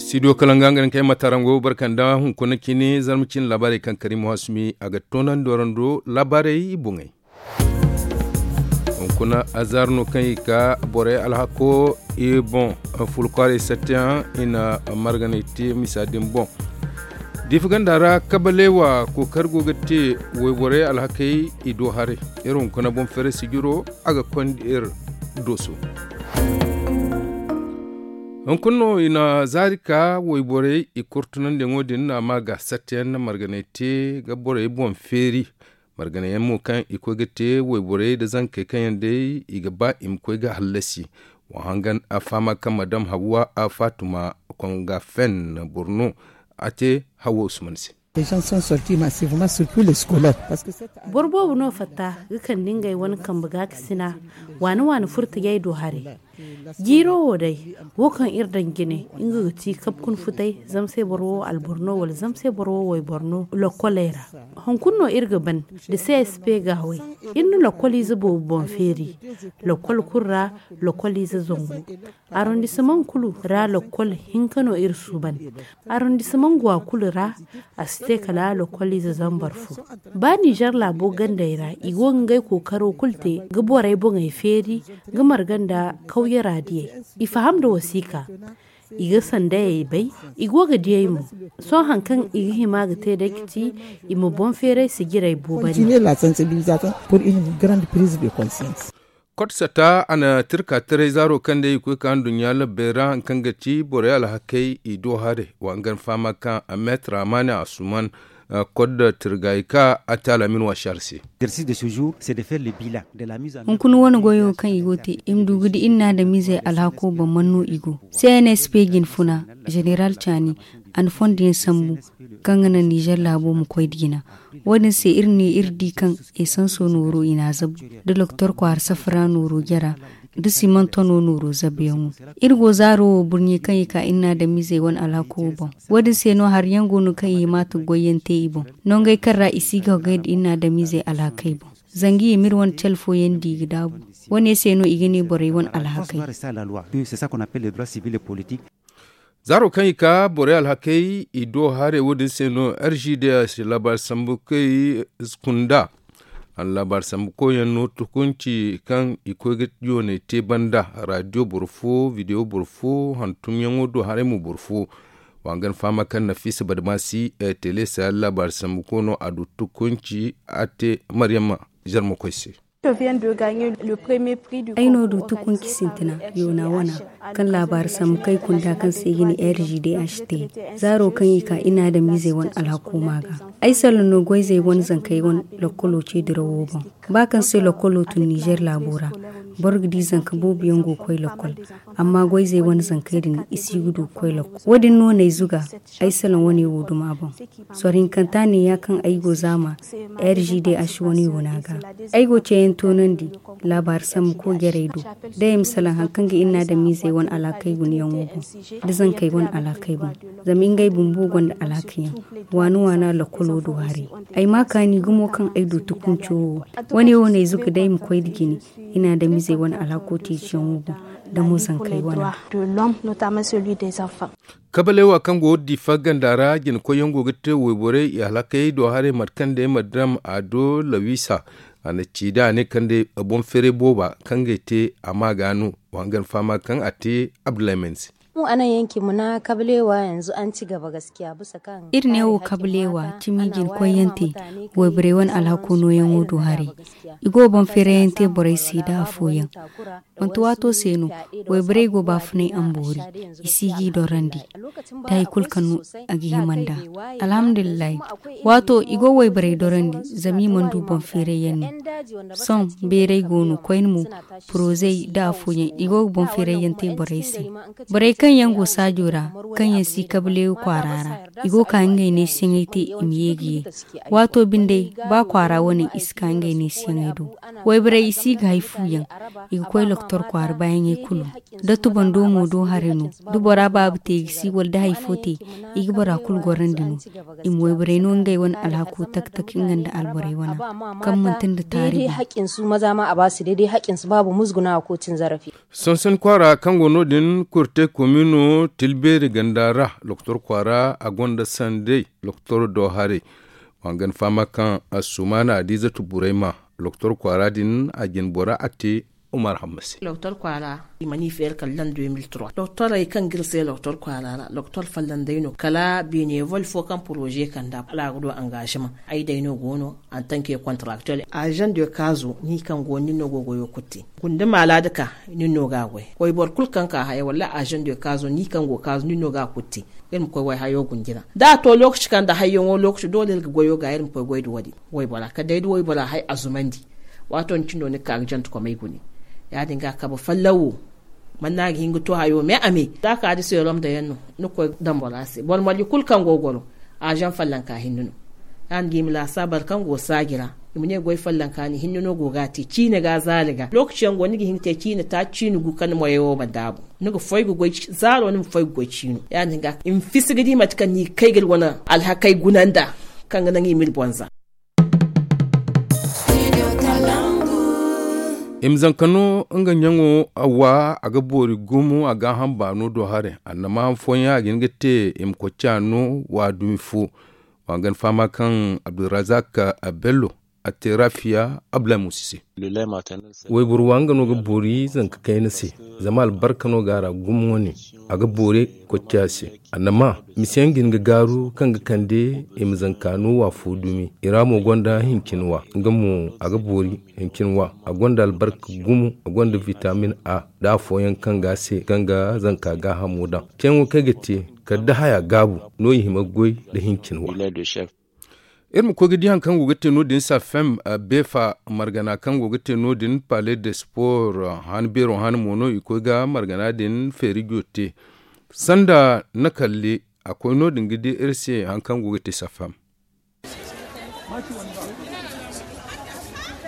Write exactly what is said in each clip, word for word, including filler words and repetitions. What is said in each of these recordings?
Studio kalanga nga ne kaŋ ay ma taraŋ go barkanda hunkuna cine zarma cine laabaarey kaŋ kari muhasumi a ga toonandi warando laabaarey boŋey. Hunkuna azar no kaŋ i ka borey alhako i boŋ, fulkwarey sattiyaŋ i na marganay te misa din boŋ. Diifa ganda ra kabaleewa kookari go ga te wayborey alhakey i do haray. Iri hunkuna boŋ feeray sijiro a ga konda iri dooso. Hunkuna no i na zaari ka wayborey i kurtunandiyaŋo din a ma ga sattiyaŋ na marganay te ga borey boŋ feeri. Marganayaŋ mo kaŋ i koy ga te wayborey nda zankey kaŋ yaŋ day i ga ba i ma koy ga hallasi. Wa hangan a fahama kaŋ madam hawwa a faatuma konga fen borno a te hawwa usman se. Boro boobo no fatta ga kande ngey wane kambe gaakasina waani waani furtajey do haray. Jiiro wo day, wo kaŋ iri daŋ jine nga ga ti kabkun futay zama se boro wo alboro no wala zama se boro wo wayboro no lokkoley ra. Hunkuna no iri ga ban da csp gaawey. Iri na lokkoliize boobo boŋ feeri. Lokkol kulu ra lokkoliize zangu. Arrondissement kulu ra lokkol hinka no iri suuban. Arrondissement gwa kulu ra a si te kala lokkoliize zambar fo. Ba nizer laabo gandey ra i go ga ngey kookaro kulu te ga borey boŋey feeri ga marga nda kawyera diyey. I faham nda wasiika. I ga sandayey bay. I go ga diyey mo. Sohõ hari kaŋ i ga hima ga te day ga ti i ma boŋ feeray sijirey boobandi. Continuer la sensibilisation pour une grande prise de conscience. Kot sata a na tirka taray zaaro kaŋ day i koy ka nduɲɲa labbey ra hari kaŋ ga ti borey alhakey i do haray. Wa nga ni fahama kaŋ a meetar amaani asuman. Kot da tirgay ka a te alamin washar se. Hunkuna wane goyo kaŋ i go te i ma du ga di iri na adamizey alhako boŋ man no i go. Cnsp jine funa zeneral caani a na fondo yaŋ sambu kaŋ ga naŋ nizer laabo ma koy da jina. Wo- din se iri ne iri di kaŋ esanso nooro i na a zabu da doktor kwaara safara nooro jara da siman tono nooro zabuyaŋo. Iri go zaaro wo burɲe kaŋ i ka iri na adamizey wane alhako wo boŋ. Wo- din se no hari yaŋ go no kaŋ i hima ga goy yaŋ te i boŋ. Nongey kaŋ ra i si ga hogay nda iri na adamizey alhakey boŋ. Zanga i ma iri wane cale fooyaŋ di i ga daabu. Wo- ne se no i ga ne borey wane alhakey. Zaaro kaŋ i ka borey alhakey i do haray wo- din se no rgds laabaari sambu kay kunda. A na laabaari sambu koyyaŋ no tukunci kaŋ i koy ga yoonay te banda, radiyo boro fo, bidiyo boro fo, hantumyaŋo do haray mo boro fo. Wa nga ni fahama kaŋ nafiisa badamaasi tele sahel laabaari sambu ko no a du tukunci a te maryama zarma koy se. Ay no du tukunci sintina yoona wana kaŋ laabaari sambu kay kunda kaŋ se i ga ne rgd h t. Zaaro kaŋ i ka i na adamizey wane alhako ma ga ay salaŋ no goyzey wane zankey wane lokkolo ce dirawo boŋ. Ba kaŋ se lokkolo tun nizer laabo ra boro ga di zanka boobo yaŋ go ga koy lokkol. Amma goyzey wane zankey din i si ga du ga koy lokkol wo- din no n'ay zuga. Ay salaŋ wane wo duma boŋ. Sorro hinkanta neeya kaŋ ay go zaama rgd h wane yoona ga. Ay go ceeyaŋ toonandi laabaari sambu ko jarey do. Day ay ma salaŋ hari kaŋ ga iri na adamizey wane alhakey gunayaŋo boŋ da zankey wane alhakey boŋ. Zama ngey bumbo gonda alhakayaŋ waani waana lokkolo do haray. Ay ma kaani gumo kaŋ ay du tukunco wo. Wane wo n'ay zuga day ay ma koy nda jine i na adamizey wane alhako ceeciyaŋo boŋ da mo zankey wane. Kabalewa kaŋ go diifa ganda ra jinakoyyaŋ go ga te wayborey i halakey do haray mate kaŋ day madam ado lawisa. A na ci da a ne kaŋ day boŋ feeray booba kaŋ ga ay te a ma ga no. Wa hangan fahama kaŋ a te abdullahi mense. Iri ne wo kabalewa cimi jinakoyyaŋ te wayborey wane alhako nooyaŋo do haray. I go boŋ feerayyaŋ te borey se da afooyaŋ. Manti waato se no wayborey go baafunay amboori i si g'i dorandi. Da hari kulu kaŋ no a ga hima nd'a. Alhamdulillahi. Waato i go wayborey dorandi zama i mana du boŋ feerayyaŋ no. Sohõ beeray go no koyne mo porozey da afooyaŋ i go ga boŋ feerayyaŋ te borey se. Borey kaŋ yaŋ go saajo ra kaŋ yaŋ si kabaleewu kwaara ra i go ga ka ngey neesiyaŋey te i ma ye ga ye. Waato binde ba kwaara wane i si ka ngey neesiyaŋey do. Wayborey i si ga hari fu yaŋ i ga koy lokotor kwaara baayaŋey kulu. Da tubando mo do haray no da bora baaba te i ga si wala da hari fo te i ga bora kulu gorandi no. I ma wayborey no ngey wane alhako tak tak nga nda alborey wana kaŋ manti nda taari boŋ. Sonson kwaara kaŋ go no- din kurte Mino tilbeeri ganda ra lokotor kwaara a gonda sanday lokotor do haray. Wangan fama kaŋ a sumaana a diiza tuburay ma lokotor kwaara din a jin bora a te. Umar hammasi. Lokotor kwaara i mana i feeri kala lan deux mille trois lokotorey kaŋ ga iri se lokotor kwaara ra lokotor fallanday no kala benevol fo kaŋ poroze kanda kala a ga du angaazama. Ay day no go no antanke kontaraktel azaŋ de kaazo ni kaŋ go no ni no go goyo kulu te. Gunda maala da ka ni no ga a goy wayboro kulu kaŋ ka haya wala azaŋ de kaazo ni kaŋ go kaazo ni no ga a kulu te. Iri ma koy wayhayo gunji ra da a to lookaci kaŋ da hayyaŋo lookaci doole iri ga goyo ga iri ma koy goy da wo- din. Waybora kala day da waybora hay a zumandi. Waato ni cindo ni ga ka ga jante komey gune. Ya- din ga kabe fallawo. Manna a ga hin ga to hayo me a me za ka da seerom da yaŋ no ni ga koy daŋ bora se boro marje kulu kaŋ go goro. Azaŋ fallanka hinne no. Ya- din ga i ma laasa boro kaŋ go saaji ra i ma ne goy fallanka ni hinne no go ga a te ciine ga zaali ga lookaci yaŋ go ni ga hin ga te ciine taaci ciine gu kaŋ ni moyey wo ma daabu. Ni ga foy ga goy zaaro ni ma foy ga goy ciino ya- din ga i ma fisi ga di mate kaŋ ni ga kay ga iri wane alhakey guna nd'a kaŋ ga naŋ i ma iri boŋ za. I ma zanka no nga ɲaŋo a wa a ga boori gumo a gaaham baano do haray annama han fooyaŋ a ga hin ga te i ma kocca no wa dumi fo. Wa ga ni fahama kaŋ abdulrazak bello a te rafiya abdulahi musa se. Wayboro wa nga no ga boori zanka kayna se zama albarka no ga a ra gumo wane. A ga boori kocca se annama misa yaŋ ga hin ga gaaru kaŋ ga kande i ma zanka no wa fo dumi i ra mo gonda hincin wa nga mo a ga boori hincin wa a gonda albarka gumo a gonda vitamin a da afooyaŋ kaŋ ga a se kaŋ ga zanka gaahamo daŋ. Ceeyaŋo kaŋ ay ga te kala da haya gaabu no i hima ga goy nda hincin wa. Iri ma koy ga di hari kaŋ go ga te no- din safem beefa margana kaŋ go ga te no- din palais de sport han beero han mo no i koy ga margana din feeri jo te. Sanda na kalle a koy no- din ga di iri se hari kaŋ go ga te safem.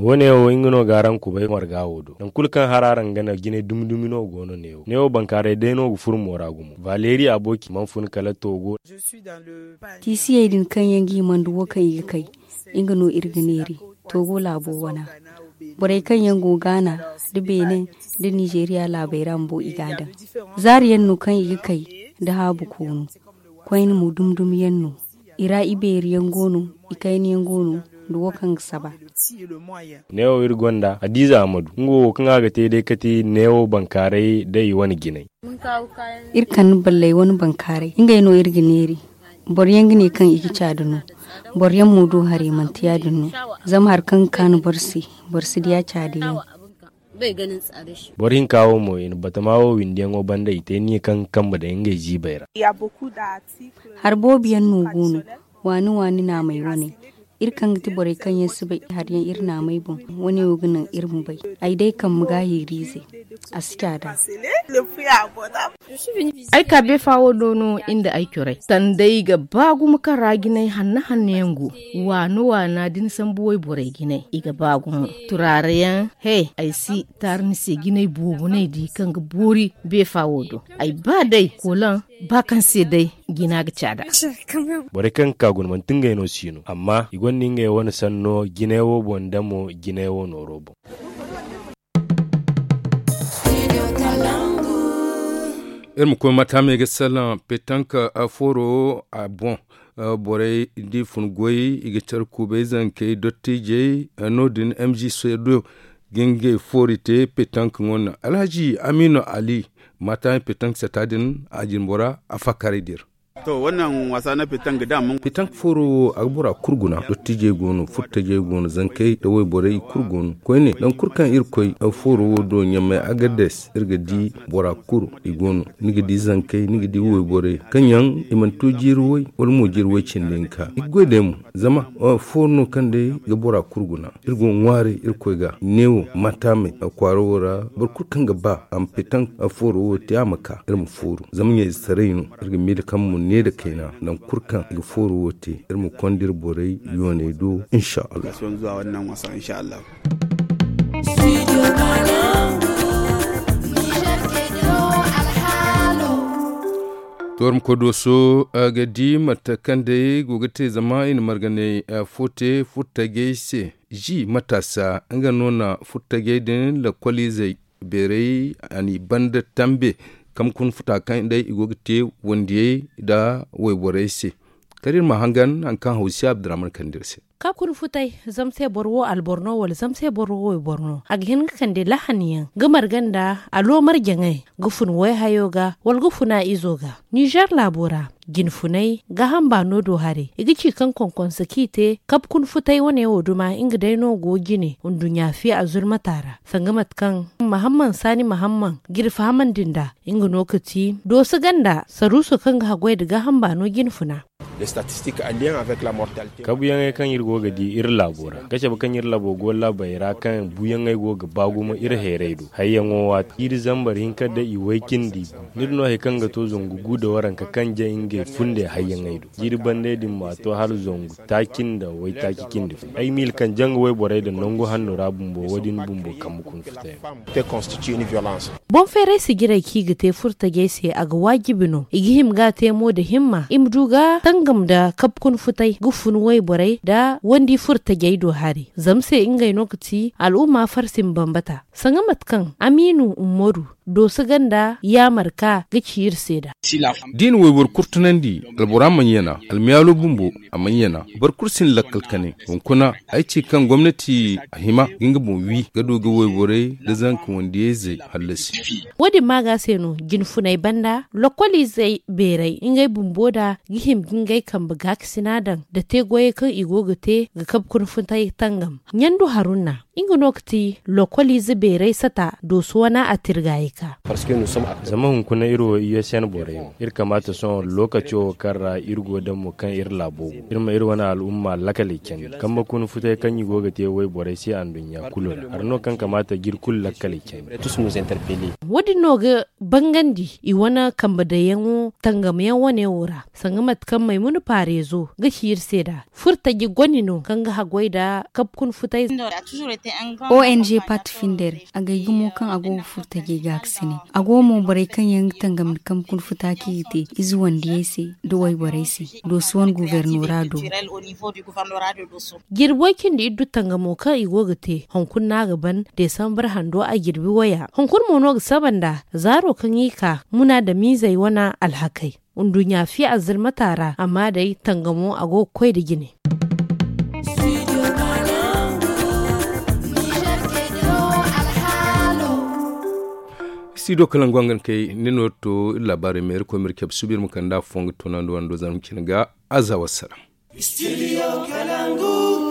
Wo- ne wo nga no ga araŋ kubay marga wo do nangu kulu kaŋ hari araŋ ga naŋ jinay dumi dumi no go no ne wo ne wo bankaaray day no ga furo moora gumo valeri abooki mana fun kala toogo. Tiisiyey din kaŋ yaŋ ga himandi wo kaŋ i ga kay nga no iri ga neeri. Toogo laabo wana borey kaŋ yaŋ go gaana nda beene nda nizeeriya laabey ra bumbo i ga a daŋ. Zaari yaŋ no kaŋ i ga kay nda haabu koonu. Koyne mo dumi dumi yaŋ no i ra ibeeri yaŋ go no. Ikayna yaŋ go no nda wo kaŋ ga saba. Ne wo iri gonda hadiza amadu nga wo kaŋ a ga te day kati ne wo bankaaray da i wane jinay. Iri kande balley wane bankaaray ngey no iri ga neeri. Boro yaŋ ga ne kaŋ i ga caada no. Boro yaŋ mo du haray manti ya- din no. Zama hari kaŋ ga kaanu boro se boro si diya caada yaŋ. Boro hinka wo mo i na batama wo windiyaŋo banda i te niya kaŋ ga kambe day ngey ziibey ra. Hari boobo yaŋ no go no. Waani waani naamey wane iri kaŋ ga ti borey kaŋ yaŋ si bay hari yaŋ iri naamey boŋ. Wane wo ga naŋ iri ma bay. Ay day kambe ga hiiriize a si caada. Ay ka beefa wo do no nda ay corey sanday ga ba gumo kaŋ ra jinay hanna hanna yaŋ go. Waana waana da ni sambu wayborey jinay i ga ba gumo. Turaara yaŋ he ay si taara ni se jinay boobo no ay di kaŋ ga boori beefa wo do. Ay ba day koolan ba kaŋ se day jina ga caada. Borey kaŋ ga ka guna manti ngey no si no amma i gonda ngey wane sanno jinay wo boŋ da mo jinay wo nooro boŋ. Iri ma koy mata me ga salaŋ petank fooro a boŋ. Borey da i fun goy i ga care kuubay zankey dottijey no- din m g sedo ga ngey foori te petank ŋo no alhaji aminu ali. Mata me petank sata din a jinbora a fakkaray dir. Petank fooro wo a ga bora kulu guna dottijey go no furtajey go no zankey nda wayborey i kulu go no koyne nangu kulu kaŋ iri koy fooro wo do ɲamey agades iri ga di bora kulu i go no. Ni ga di zankey ni ga di wayborey kaŋ yaŋ i mana to jiiri way wala mo jiiri way cindi hinka i ga goy day mo. Zama fooro no kaŋ day ga bora kulu guna iri go ga ŋwaaray iri koy ga neewo mataamey kwaara wo ra. Boro kulu kaŋ ga ba a ma petank fooro wo te a ma ka iri ma fooru zama ɲayzetaray no. Iri ga miila kaŋ mo ne nda kayna nangu kulu kaŋ i ga fooro wo te iri ma konda iri borey yooney do. Insha allah. Toormako dooso ga di mate kaŋ day go ga te zama i na marganay fo te furtajey se. Zi mataasa nga no na furtajey din lakkoliizey beeray a n'i banda tambe. Kamkun futa kaŋ day i go ga te wandiyey nda wayborey se. Kala iri ma hangan hari kaŋ hawsi abdurrahman kande iri se. Kamkun futay, zama se boro wo alboro no wala zama se boro wo wayboro no, a ga hin ga kande lahaniyaŋ ga marga nda alo marjaŋey ga fun wayhayo ga wala ga fun a izo ga. Ninzeer laabo ra, jinfunay gaaham baano do haray i ga ci kaŋ konkonse kaŋ i te kabkun futay wane wo duma nga day no go jine nduɲɲa fiya azulmata ra. Sanga mate kaŋ mahamman saani mahamman ga iri fahamandi nd'a, nga no ga ti dooso ganda saruuso kaŋ ga haggoy nda gaaham baano jinfuna. Kabuyaŋey kaŋ iri go ga di iri laabo ra ga cabe kaŋ iri laabo go laabey ra kaŋ buyaŋey go ga ba gumo iri hayray do hayyaŋo waati jiiri zambar hinka nda i way cindi. Ni di no hari kaŋ ga to zangu gu nda waranka kaŋ jay ngey funday hayyaŋey do. Jiiri bandey din ma to hala zangu taaci nda waytaaci cindi fo ay miila kaŋ janga wayborey nda nangu hanno ra bumbo wo- din bumbo kambe kuna futayaŋ. Boŋ feeray sijirey kaŋ i ga te furtajey se a ga waajibi no i ga hima ga a te mo nda himma i ma du ga tangam nda kabkun futay ga fun wayborey nda wandi furtajey do hari zama se ngey no ga ti al'umma farsi ma bambata. Sanga mate kaŋ amiinu umaru dooso ganda yaamar ka ga ci iri se nd'a. Da i na wayboro kurtunandi albora mana yana almiyaalo bumbo a mana yana. Boro kulu si na lakkal kane hunkuna ay ci kaŋ gomnati a hima ga nga boŋ wi ga du ga wayborey nda zanka wandiyayzey hallasi. Wo- din maaga se no jinfunay banda lokkoliizey beeray ngey bumbo nda ga hima ga ngey kambe gaakasina daŋ nda te goyey kaŋ i go ga te ga kabe kuna futay tangam. Ɲandu harunna nga no ga ti lokkoliize beeray sata dooso wana a tirgaayey ka. Zama hunkuna iri wo i s n borey no iri kamaata sohõ lookaco wo kaŋ ra iri go daŋ mo kaŋ iri laabo go iri ma iri wane al'umma lakaley candi kambe kuna futay kaŋ i go ga te wayborey se anduɲɲa kulu ra hari no kaŋ kamaata ga iri kulu lakaley candi. Wo- din no ga bangandi i wane kambe daŋyaŋo tangam yaŋ wane wo ra sanga mate kaŋ maymuna paareezo ga ci iri se nd'a. Furtaji goni no kaŋ ga haggoy nda kabkun futay. O n g parti finder a gay gumo kaŋ a go ga furtajey gaakasinay a go mo borey kaŋ yaŋ ga tangam nda kamkun futa kaŋ i ga te ize wandiyey se nda wayborey se. Dooso wane guvernora do. Jirbo cindi iddu tangamo kaŋ i go ga te hunkuna no a ga ban desambar hando a jirbi waya hunkuna mo no ga saba nda zaaro kaŋ i ka muna nda miizey wane alhakey. Nduɲɲa fiya azalmata ra amma day tangamo a go ga koy nda jine. Studio kalangu hangan kay ni no to iri laabaarey ma iri koy ma iri cabe suba iri ma kande afo nga toonandi wando zangu cine ga. Aza wassalam.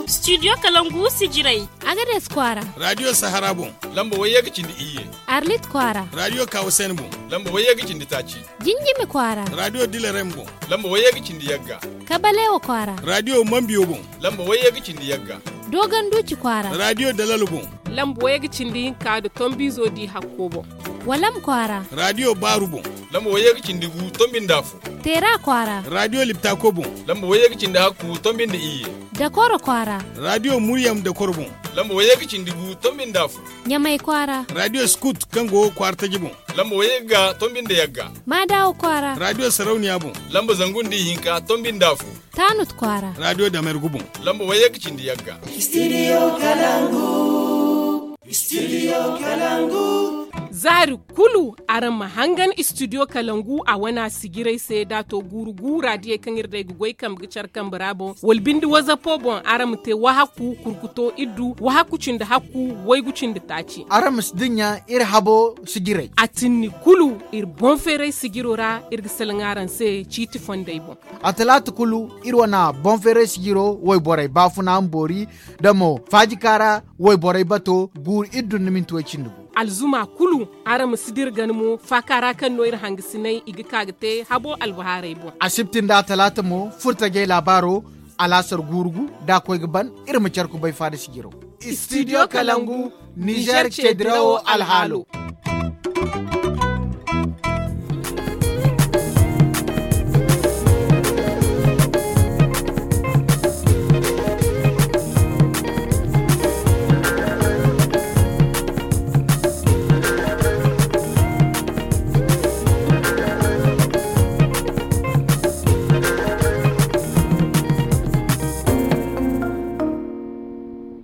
Studio kalangu sijirey. Agades kwaara. Radio sahara boŋ. Lamba wayye ga cindi iyye. Arlit kwaara. Radio kawasen boŋ. Lamba wayye ga cindi taaci. Jinjimi kwaara. Radio dilerem boŋ. Lamba wayye ga cindi yagga. Kabalewa kwaara. Radio mambiyo boŋ. Lamba wayye ga cindi yagga. Doganduci kwaara. Radio dalalo boŋ. Lamba wayye ga cindi hinka nda tombiizo di hakko boŋ. Walam kwaara. Radio baaru boŋ. Lamba wayye ga cindi gu tombi nda afo. Teera kwaara. Radio liptako boŋ. Lamba wayye ga cindi hakku tombi nda iyye. Dakoro kwaara. Radio muryam dakoro boŋ. Lamba wayye ga cindi gu tombi nda afo. Ɲamay kwaara. Radio skut kaŋ go kwaara taji boŋ. Lamba wayye ga tombi nda yagga. Maadawa kwaara. Radio sarauniya boŋ. Lamba zangu nda ihinka tombi nda afo. Taanut kwaara. Radio damergu boŋ. Lamba wayye ga cindi yagga. Studio kalangu. Studio kalangu. Zaari kulu araŋ ma hangan studio kalangu a wana sijirey se da to guuru guura diyey kaŋ iri day ga goy kambe ga care kambe ra boŋ wala binde wazapo boŋ araŋ ma te wahakku kurkuto iddu wahakku cindi hakku waygu cindi taaci. Araŋ ma si dinya iri habo sijirey. A tinni kulu iri boŋ feeray sijiro ra iri ga salaŋ araŋ se ciiti fondey boŋ. A talaata kulu iri wana boŋ feeray sijiro wayborey baafuna ma boori da mo faajika ra wayborey bato guuru iri dun ni minti way cindi gu. Alzuma kulu araŋ ma si dira gana mo faaka ra kaŋ no iri hangasinay i ga ka ga te habo albahaarey boŋ. Asibti nda talaata mo furtajey laabaaro alaasar guuru gu da a koy ga ban iri ma care kubay faada sijiro. Studio kalangu nizer ceedirawo alhaalo.